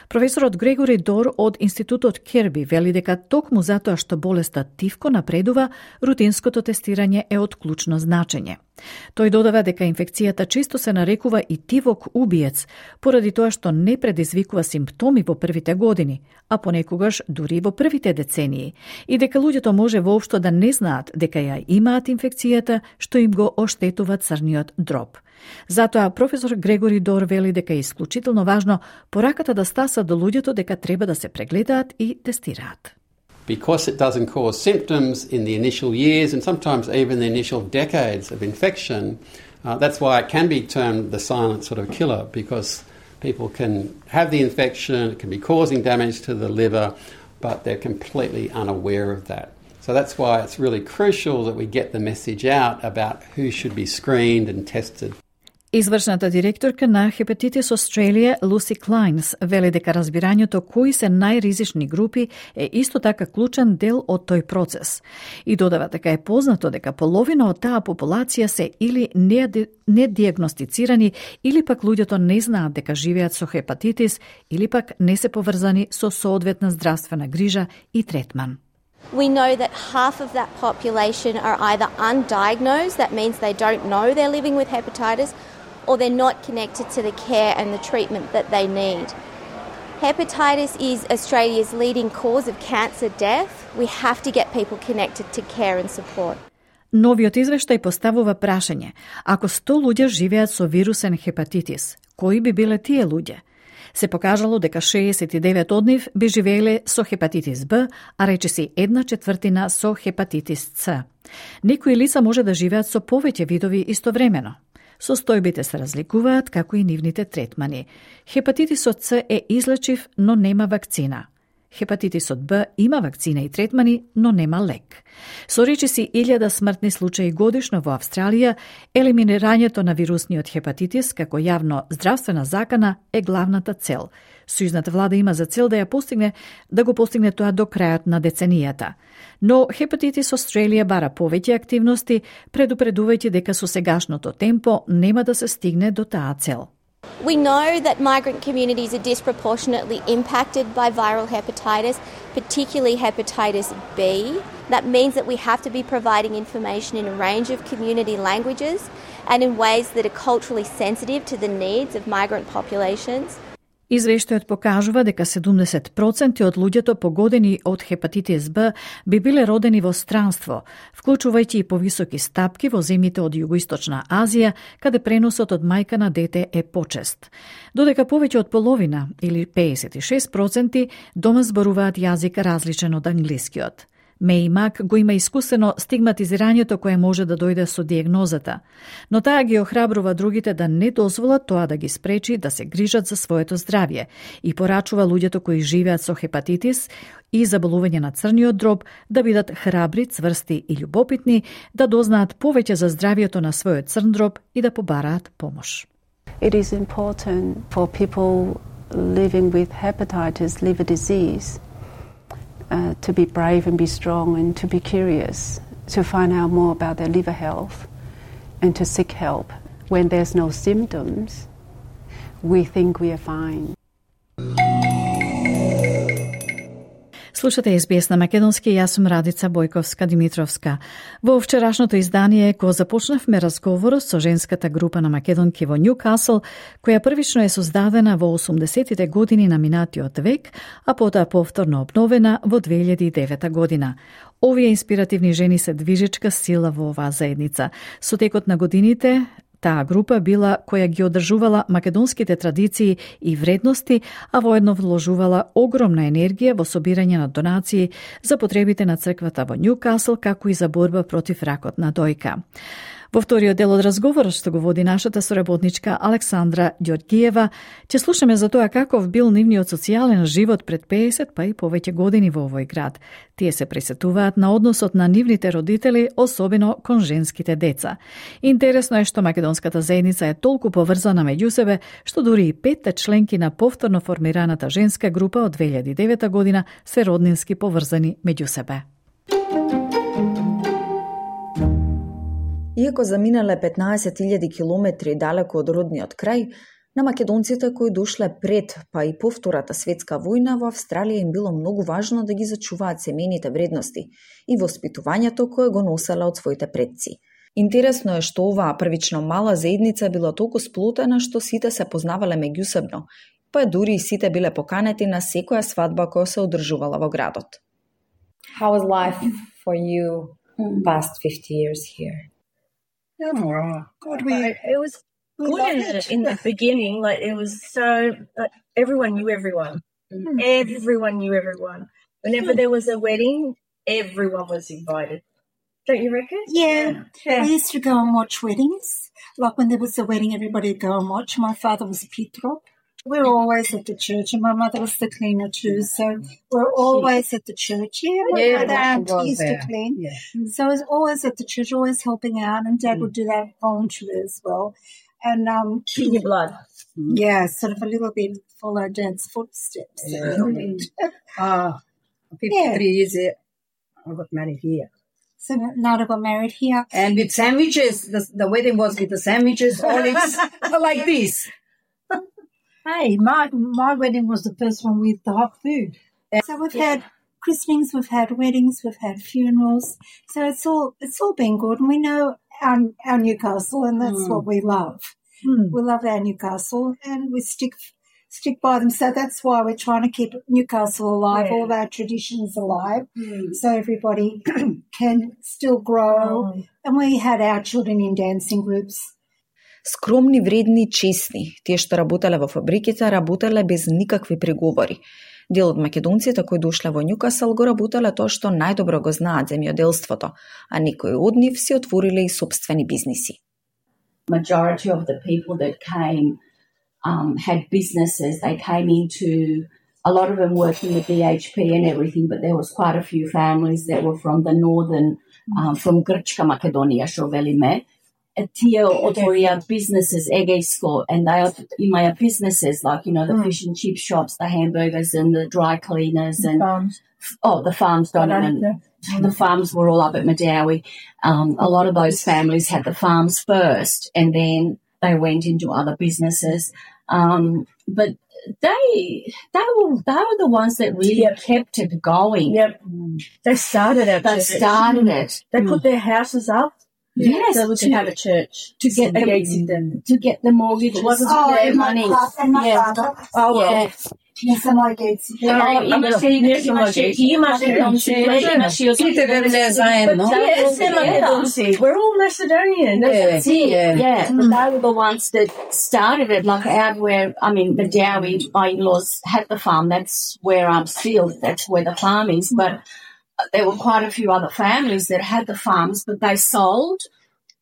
[SPEAKER 3] Професорот Грегори Дор од Институтот Керби вели дека токму затоа што болеста тивко напредува, рутинското тестирање е од клучно значење. Тој додава дека инфекцијата често се нарекува и тивок убиец, поради тоа што не предизвикува симптоми во првите години, а понекогаш дури во првите децении, и дека луѓето може воопшто да не знаат дека ја имаат инфекцијата што им го оштетува црниот дроб. Затоа професор Грегори Дор вели дека е исклучително важно пораката да стаса до луѓето дека треба да се прегледаат и тестираат.
[SPEAKER 18] Because it doesn't cause symptoms in the initial years and sometimes even the initial decades of infection, that's why it can be termed the silent sort of killer, because people can have the infection, it can be causing damage to the liver, but they're completely unaware of that. So that's why it's really crucial that we get the message out about who should be screened and tested.
[SPEAKER 3] Извршната директорка на Hepatitis Australia, Lucy Kleins, вели дека разбирањето кои се најризични групи е исто така клучен дел од тој процес. И додава дека е познато дека половина од таа популација се или недиагностицирани, или пак луѓето не знаат дека живеат со хепатитис, или пак не се поврзани со соодветна здравствена грижа и третман.
[SPEAKER 19] We know that half of that population are either undiagnosed, that means they don't know they're living with hepatitis, or they're not connected to the care and the treatment that they need. Hepatitis is Australia's leading cause of cancer death. We have to get people connected to care and support.
[SPEAKER 3] Новиот извештај поставува прашање: ако 100 луѓе живеат со вирусен хепатитис, кои би биле тие луѓе? Се покажало дека 69 од нив би живееле со хепатитис Б, а речиси 1/4 со хепатитис С. Некои лица може да живеат со повеќе видови истовремено. Состојбите се разликуваат, како и нивните третмани. Хепатитисот С е излечив, но нема вакцина. Хепатитисот Б има вакцина и третмани, но нема лек. Со речиси 1000 смртни случаи годишно во Австралија, елиминирањето на вирусниот хепатитис како јавно здравствена закана е главната цел. Сојузната влада има за цел да го постигне тоа до крајот на деценијата. Но Hepatitis Australia бара повеќе активности, предупредувајќи дека со сегашното темпо нема да се стигне до таа цел.
[SPEAKER 19] We know that migrant communities are disproportionately impacted by viral hepatitis, particularly hepatitis B. That means that we have to be providing information in a range of community languages and in ways that are culturally sensitive to the needs of migrant populations.
[SPEAKER 3] Извештајот покажува дека 70% од луѓето погодени од хепатитис Б би биле родени во странство, вклучувајќи и повисоки стапки во земјите од Југоисточна Азија, каде преносот од мајка на дете е почест. Додека повеќе од половина, или 56%, дома зборуваат јазик различен од англискиот. Меј Мак го има искусено стигматизирањето кое може да дојде со диагнозата, но таа ги охрабрува другите да не дозволат тоа да ги спречи да се грижат за своето здравје и порачува луѓето кои живеат со хепатитис и заболување на црниот дроб да бидат храбри, цврсти и љубопитни, да дознаат повеќе за здравјето на својот црн дроб и да побараат помош.
[SPEAKER 17] It is important for people living with hepatitis, liver disease, to be brave and be strong and to be curious, to find out more about their liver health and to seek help. When there's no symptoms, we think we are fine.
[SPEAKER 3] Слушате SBS на македонски, јас сум Радица Бојковска-Димитровска. Во вчерашното издание го започнавме разговорот со женската група на македонки во Њукасл, која првично е создадена во 80-тите години на минатиот век, а потоа повторно обновена во 2009 година. Овие инспиративни жени се движечка сила во оваа заедница. Со текот на годините, таа група била која ги одржувала македонските традиции и вредности, а воедно вложувала огромна енергија во собирање на донации за потребите на црквата во Њукасл, како и за борба против ракот на дојка. Во вториот дел од разговорот што го води нашата соработничка Александра Ѓоргиева, ќе слушаме за тоа каков бил нивниот социјален живот пред 50 па и повеќе години во овој град. Тие се присетуваат на односот на нивните родители, особено кон женските деца. Интересно е што македонската заедница е толку поврзана меѓу себе, што дури и 5 членки на повторно формираната женска група од 2009 година се роднински поврзани меѓу себе.
[SPEAKER 20] Иако заминале 15.000 километри далеко од родниот крај, на македонците кои дошле пред, па и по Втората светска војна, во Австралија им било многу важно да ги зачуваат семејните вредности и воспитувањето кое го носеле од своите предци. Интересно е што оваа првично мала заедница била толку сплотена што сите се познавале меѓусебно, па дури и сите биле поканети на секоја свадба која се одржувала во градот.
[SPEAKER 21] How was life for you past 50 years here?
[SPEAKER 22] God, it was good in the beginning. Like it was so everyone knew everyone. Everyone knew everyone. Whenever there was a wedding, everyone was invited. Don't you reckon?
[SPEAKER 23] Yeah. We used to go and watch weddings. Like when there was a wedding, everybody would go and watch. My father was a Pitrop. We were always at the church, and my mother was the cleaner too, so we're always at the church. Yeah, the auntie used to clean. Yeah. So I was always at the church, always helping out, and Dad would do that voluntarily as well. And
[SPEAKER 22] in your blood.
[SPEAKER 23] Yeah, sort of a little bit follow Dad's footsteps.
[SPEAKER 22] Yeah. 53 years I got married here.
[SPEAKER 23] So Nada got married here.
[SPEAKER 22] And with sandwiches, the wedding was with the sandwiches, olives, like this.
[SPEAKER 23] Hey, my wedding was the first one with the hot food. So we've had christenings, we've had weddings, we've had funerals. So it's all been good, and we know our Newcastle, and that's what we love. We love our Newcastle, and we stick by them. So that's why we're trying to keep Newcastle alive, all our traditions alive, so everybody can still grow. And we had our children in dancing groups.
[SPEAKER 20] Скромни, вредни, честни. Тие што работеле во фабриките, работеле без никакви преговори. Дел од македонците кои дошле во Њукасл го работеле тоа што најдобро го знаат земјоделството, а некои од нив си отвориле и собствени бизниси.
[SPEAKER 24] Majority of the people that came had businesses. They came into, a lot of them worked in the BHP and everything, but there was quite a few families that were from the northern, from Grčka Makedonија, што велиме. Тие отворија businesses, егејско, and they имаја businesses like, you know, the fish and chip shops, the hamburgers and the dry cleaners and the farms the farms were all up at Madawi. A lot of those families had the farms first, and then they went into other businesses. But they were the ones that really kept it going.
[SPEAKER 22] Yep. They started it. They put their houses up.
[SPEAKER 24] Yes,
[SPEAKER 22] so we could have a church
[SPEAKER 24] to get the mortgage.
[SPEAKER 23] It wasn't their money. Не само агенци.
[SPEAKER 22] We're all Macedonian.
[SPEAKER 24] That's it. Yeah. They were the ones that started it, like out where, I mean, the Dowie, my in-laws had the farm. That's where I'm still. That's where the farm is. But there were quite a few other families that had the farms, but they sold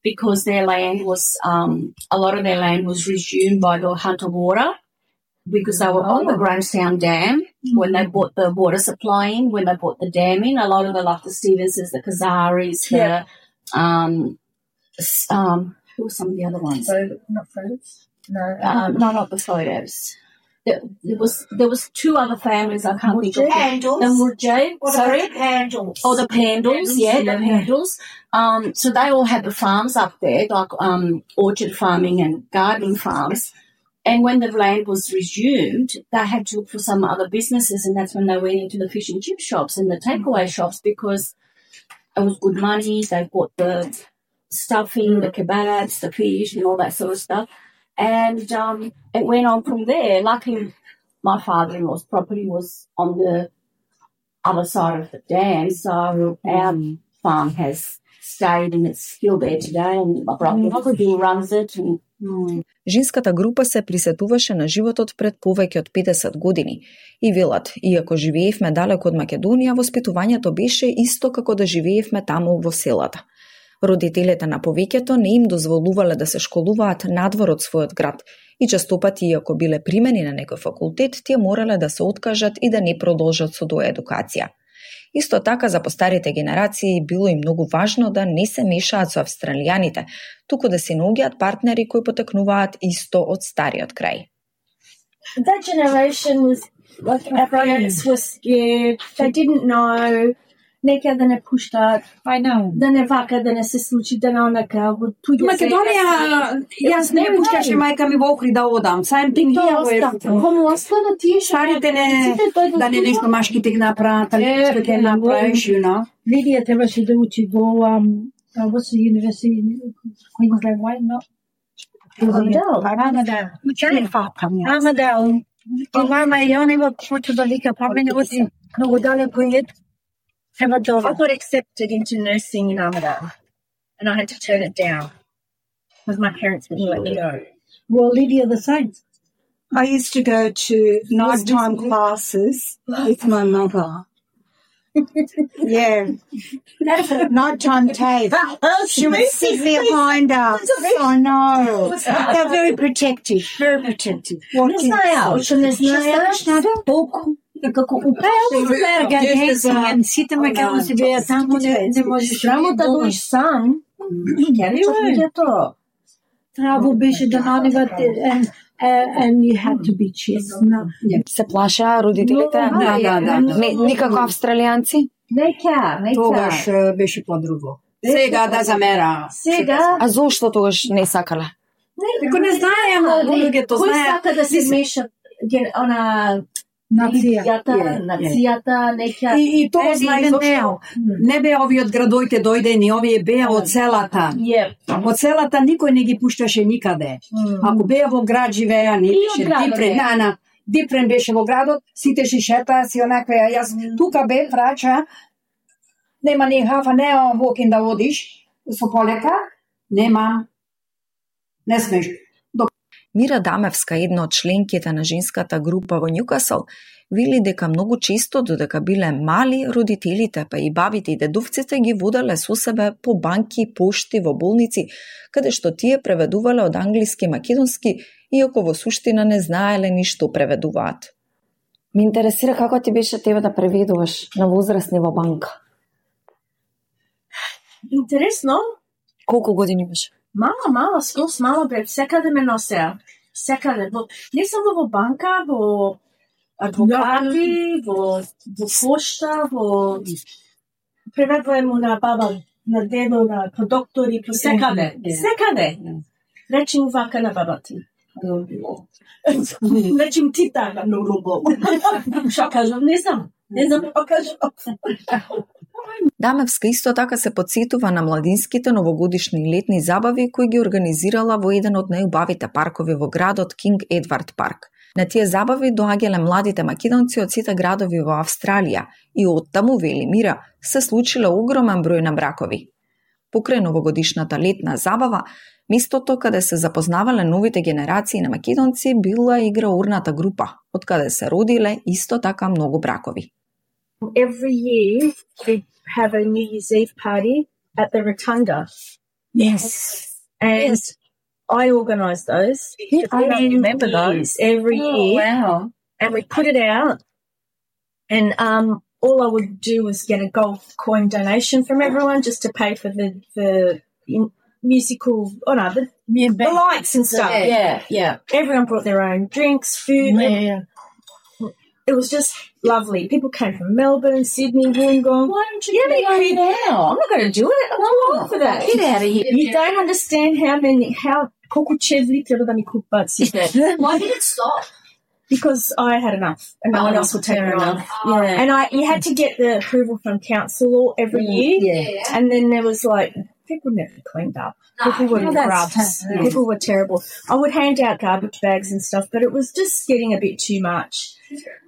[SPEAKER 24] because their land was, a lot of their land was resumed by the Hunter Water. Because they were on the Grahamstown Dam when they bought the water supply in, when they bought the dam in. A lot of the, like the Stevenses, the Kazaris, who were some of the other ones?
[SPEAKER 22] Not Photos? No.
[SPEAKER 24] No, not the Photos. There was two other families I can't think of. The Pandals. Sorry?
[SPEAKER 23] The Pandals.
[SPEAKER 24] Oh, the Pandals, the Pandals. So they all had the farms up there, like orchard farming and gardening farms. And when the land was resumed, they had to look for some other businesses, and that's when they went into the fish and chip shops and the takeaway shops because it was good money. They bought the stuffing, the kebabs, the fish, and all that sort of stuff. And it went on from there. Luckily, my father-in-law's property was on the other side of the dam, so our farm has stayed and it's still there today. And my brother runs it. And
[SPEAKER 20] Женската група се присетуваше на животот пред повеќе од 50 години и велат, иако живеевме далеко од Македонија, воспитувањето беше исто како да живеевме таму во селата. Родителите на повеќето не им дозволувале да се школуваат надвор од својот град и честопати, иако биле примени на некој факултет, тие морале да се откажат и да не продолжат со доедукација. Исто така за постарите генерации било и многу важно да не се мешаат со австралијаните, туку да се наоѓаат партнери кои потекнуваат исто од стариот крај.
[SPEAKER 22] That generation was like our parents were scared. They didn't know. Нека да не пуштат. Да не вака, да не се случи, да не онака.
[SPEAKER 2] Македонија, јас не пушташе мајка ми во Охрид да одам. Same thing here.
[SPEAKER 24] Кому остана тие
[SPEAKER 2] старите да не нешто машките ги направат, што ќе направиш, you know.
[SPEAKER 23] Лидија требаше да учи во what's the university? Queensland White, no? Armadale. Мама ја не во почу да лика, па мене оти многу далеко е. I got accepted into nursing in Armadale, and I had to turn it down because my parents wouldn't let me go.
[SPEAKER 2] Well, Lydia, the same. I used to go to nighttime classes with my mother. Yeah. Nighttime tape. She would sit behind us. I know. They're very protective. Very protective.
[SPEAKER 23] Сите македонци беа таму, не можеш
[SPEAKER 22] работа доиш сам.
[SPEAKER 23] Трабо беше да наливат and you had to be chill.
[SPEAKER 20] Се плашаа родителите?
[SPEAKER 23] Да.
[SPEAKER 20] Никако австралијанци?
[SPEAKER 22] Нека.
[SPEAKER 2] Тогаш беше подруго. Сега да замера.
[SPEAKER 20] А зошто тогаш не сакале?
[SPEAKER 2] Како не знаеме, луѓето знаеат.
[SPEAKER 22] Кој сака да се меша она нацијата, нека.
[SPEAKER 2] И тоа знае зошто. Не беа овие од градоите дојдени, овие беа од селата. Од селата никој не ги пушташе никаде. Ако беа во град живеа, не беше Дипрен беше во градот, сите си шета, си онакве, јас тука бе, врача, нема ни хафа, не walking да одиш, со полека, нема, не смеш.
[SPEAKER 20] Мира Дамевска, една од членките на женската група во Нјукасл, вели дека многу често, додека биле мали, родителите, па и бабите и дедовците ги водале со себе по банки, пошти, во болници, каде што тие преведувале од англиски македонски, иако во суштина не знаеле ни што преведуваат.
[SPEAKER 21] Ме интересира како ти беше тебе да преведуваш на возрастни во банка.
[SPEAKER 22] Интересно.
[SPEAKER 21] Колку години имаш?
[SPEAKER 22] Мала, скос мала бе, секаде ме носеа. Секаде. Не само во банка, во адвокати, во пошта, во преведуваме на баба, на дедо, на доктори, секаде. Речи му вака на баба ти. Речи му ти така на рубо. Што кажам, не знам па кажам.
[SPEAKER 20] Дамевска исто така се подсетува на младинските новогодишни летни забави кои ги организирала во еден од најубавите паркови во градот Кинг Едвард парк. На тие забави доаѓале младите македонци од сите градови во Австралија и оттаму, вели Мира, се случиле огромен број на бракови. Покрај новогодишната летна забава, местото каде се запознавале новите генерации на македонци била и граурната група, од каде се родиле исто така многу бракови.
[SPEAKER 22] Every year we have a New Year's Eve party at the Rotunda.
[SPEAKER 23] Yes.
[SPEAKER 22] And
[SPEAKER 23] Yes.
[SPEAKER 22] I organise those. I remember those every year.
[SPEAKER 23] Wow.
[SPEAKER 22] And we put it out. And all I would do was get a gold coin donation from everyone just to pay for the musical, the lights and stuff.
[SPEAKER 23] Yeah.
[SPEAKER 22] Everyone brought their own drinks, food.
[SPEAKER 23] Yeah.
[SPEAKER 22] It was just lovely. People came from Melbourne, Sydney, Wollongong.
[SPEAKER 23] Why don't you get it now?
[SPEAKER 22] I'm not going to do it. I'm too old for that.
[SPEAKER 23] Get out of here.
[SPEAKER 22] You don't understand how Kokuchevli треба да ми купат сите.
[SPEAKER 23] Why did it stop?
[SPEAKER 22] Because I had enough and no one else would take
[SPEAKER 23] fair
[SPEAKER 22] it on.
[SPEAKER 23] enough. Yeah.
[SPEAKER 22] And you had to get the approval from council every year.
[SPEAKER 23] Yeah.
[SPEAKER 22] And then there was like, people never cleaned up. People were grubs. People were terrible. I would hand out garbage bags and stuff, but it was just getting a bit too much.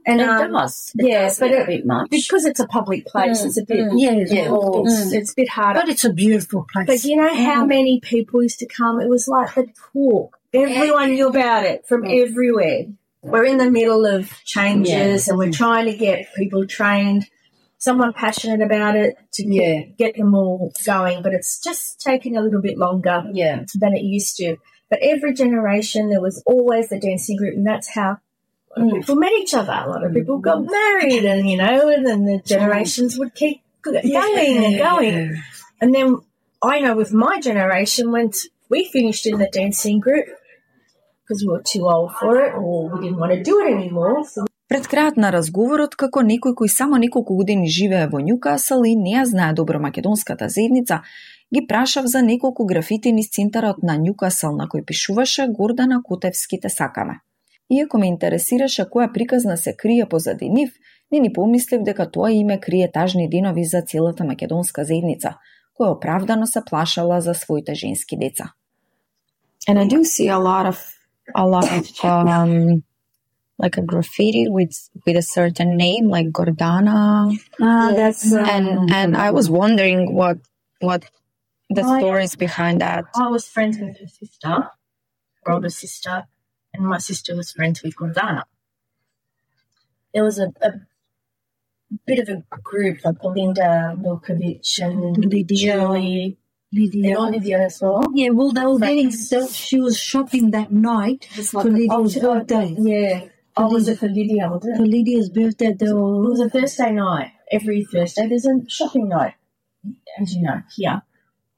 [SPEAKER 22] And
[SPEAKER 23] It does. It does
[SPEAKER 22] but
[SPEAKER 23] get a bit much.
[SPEAKER 22] because it's a public place, it's a bit it's a bit harder.
[SPEAKER 23] But it's a beautiful place.
[SPEAKER 22] But you know how many people used to come? It was like the talk. Everyone knew about it from everywhere. We're in the middle of changes and we're trying to get people trained, someone passionate about it to get them all going. But it's just taking a little bit longer than it used to. But every generation, there was always the dancing group, and that's how people met each other. A lot of people got married, and and then the generations would keep going and going. And then I know with my generation, when we finished in the dancing group, because we were too old for it or we didn't want to do it anymore. So
[SPEAKER 20] Пред крајот на разговорот, како некој кој само неколку години живее во Њукасл и не ја знае добро македонската заедница, ги прашав за неколку графити низ центарот на Њукасл на кој пишуваше Гордана Котевски те сакаме. Иако ме интересираше која приказна се крие позади нив, не ни помислив дека тоа име крие тажни денови за целата македонска заедница, која оправдано се плашала за своите женски деца.
[SPEAKER 21] And I do see a lot of like a graffiti with a certain name, like Gordana.
[SPEAKER 23] That's
[SPEAKER 21] And I was wondering what the stories behind that.
[SPEAKER 22] I was friends with her sister, her older sister, and my sister was friends with Gordana. There was a bit of a group, like Belinda Milkovic and Julie.
[SPEAKER 23] Lydia.
[SPEAKER 22] And Olivia as well.
[SPEAKER 23] Yeah, well, they were getting she was shopping that night for Lydia's birthday.
[SPEAKER 22] Yeah. Was it for Lydia? Was it?
[SPEAKER 23] For Lydia's birthday,
[SPEAKER 22] It was a Thursday night. Every Thursday there's a shopping night, as you know, here.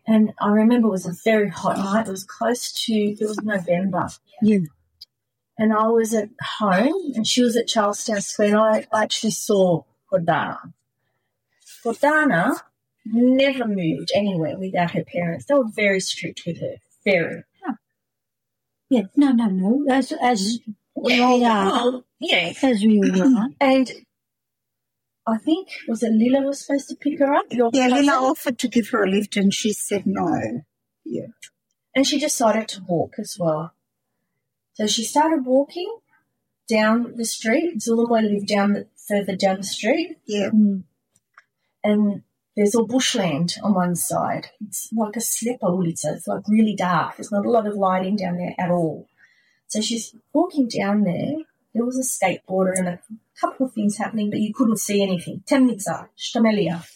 [SPEAKER 22] And I remember it was a very hot night. It was it was November.
[SPEAKER 23] Yeah.
[SPEAKER 22] And I was at home and she was at Charlestown Square and I actually saw Gordana. Gordana never moved anywhere without her parents. They were very strict with her. Very.
[SPEAKER 23] Yeah, no. As we all are.
[SPEAKER 22] Yeah.
[SPEAKER 23] As we all are.
[SPEAKER 22] And I think, was it Lila was supposed to pick her up?
[SPEAKER 23] Lila offered to give her a lift and she said no. Yeah.
[SPEAKER 22] And she decided to walk as well. So she started walking down the street. Zulumoy lived further down the street.
[SPEAKER 23] Yeah.
[SPEAKER 22] And there's all bushland on one side. It's like a slipper ulica. It's like really dark. There's not a lot of lighting down there at all. So she's walking down there. There was a skateboarder and a couple of things happening, but you couldn't see anything. Temnica, Stamelia.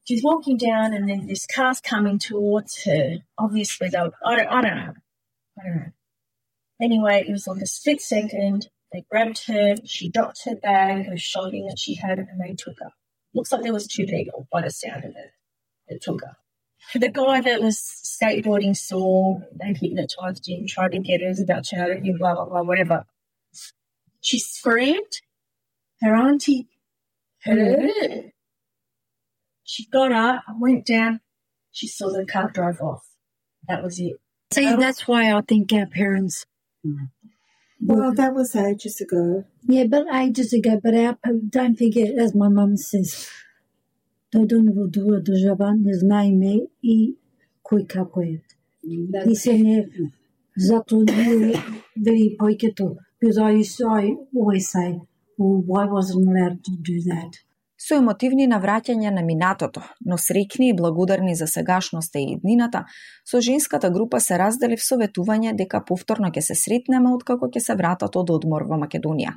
[SPEAKER 22] She's walking down and then this car's coming towards her. Obviously, I don't know. Anyway, it was like a split second. They grabbed her. She dropped her bag, her shopping that she had, and they took her. Looks like there was two people by the sound of it that took her. The guy that was skateboarding saw, they hypnotised him, tried to get her, was about to shout at him, blah, blah, blah, whatever. She screamed. Her auntie heard it. She got up, went down. She saw the car drive off. That was it.
[SPEAKER 4] See, that's why I think our parents...
[SPEAKER 23] Well, that was ages ago.
[SPEAKER 4] Yeah, but ages ago. But don't forget, as my mum says, тој донево дуа држава не знае име и кој како е. И се не зато не вери појкето. Because I always say, well, why wasn't allowed to do that?
[SPEAKER 20] Со емотивни навраќања на минатото, но среќни и благодарни за сегашноста и иднината, со женската група се раздели советување дека повторно ќе се сретнеме откако ќе се вратат од одмор во Македонија.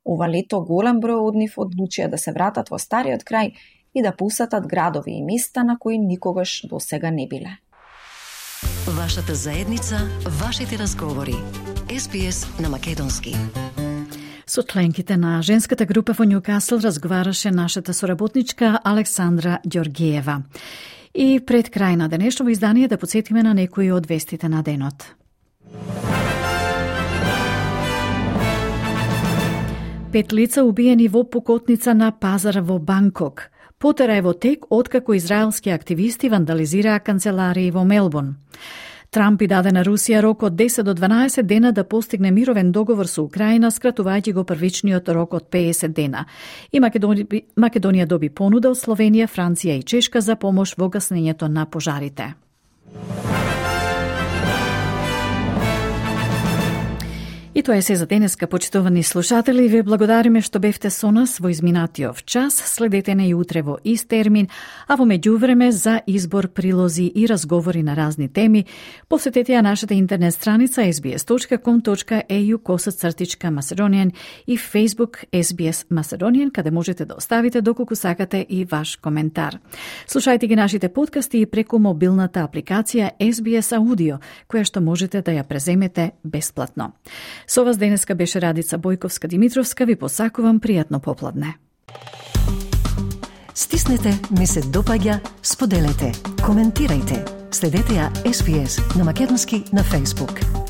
[SPEAKER 20] Ова лето голем број од нив одлучија да се вратат во стариот крај и да посетат градови и места на кои никогаш досега не биле.
[SPEAKER 1] Вашата заедница, вашите разговори. SBS на македонски.
[SPEAKER 3] Со членките на женската група во Њукасл разговараше нашата соработничка Александра Ѓоргиева. И пред крај на денешното издание да подсетиме на некои од вестите на денот. 5 лица убиени во пукотница на пазар во Банкок. Потера е во тек откако израелски активисти вандализираа канцеларии во Мелбурн. Трамп и даде на Русија рок од 10 до 12 дена да постигне мировен договор со Украина, скратувајќи го првичниот рок од 50 дена. И Македонија доби понуда од Словенија, Франција и Чешка за помош во гаснењето на пожарите. И тоа е се за денеска, почитувани слушатели. Ве благодариме што бевте со нас во изминатиот час. Следете на и утре во ист термин, а во меѓувреме за избор, прилози и разговори на разни теми, посетете ја нашата интернет страница sbs.com.au/Macedonian и Facebook SBS Macedonian, каде можете да оставите доколку сакате и ваш коментар. Слушајте ги нашите подкасти и преку мобилната апликација SBS Audio, која што можете да ја преземете бесплатно. Со вас денеска беше Радица Бојковска-Димитровска. Ви посакувам пријатно попладне.
[SPEAKER 1] Стиснете, ми се допаѓа, споделете, коментирајте. Следете ја SBS на македонски на Facebook.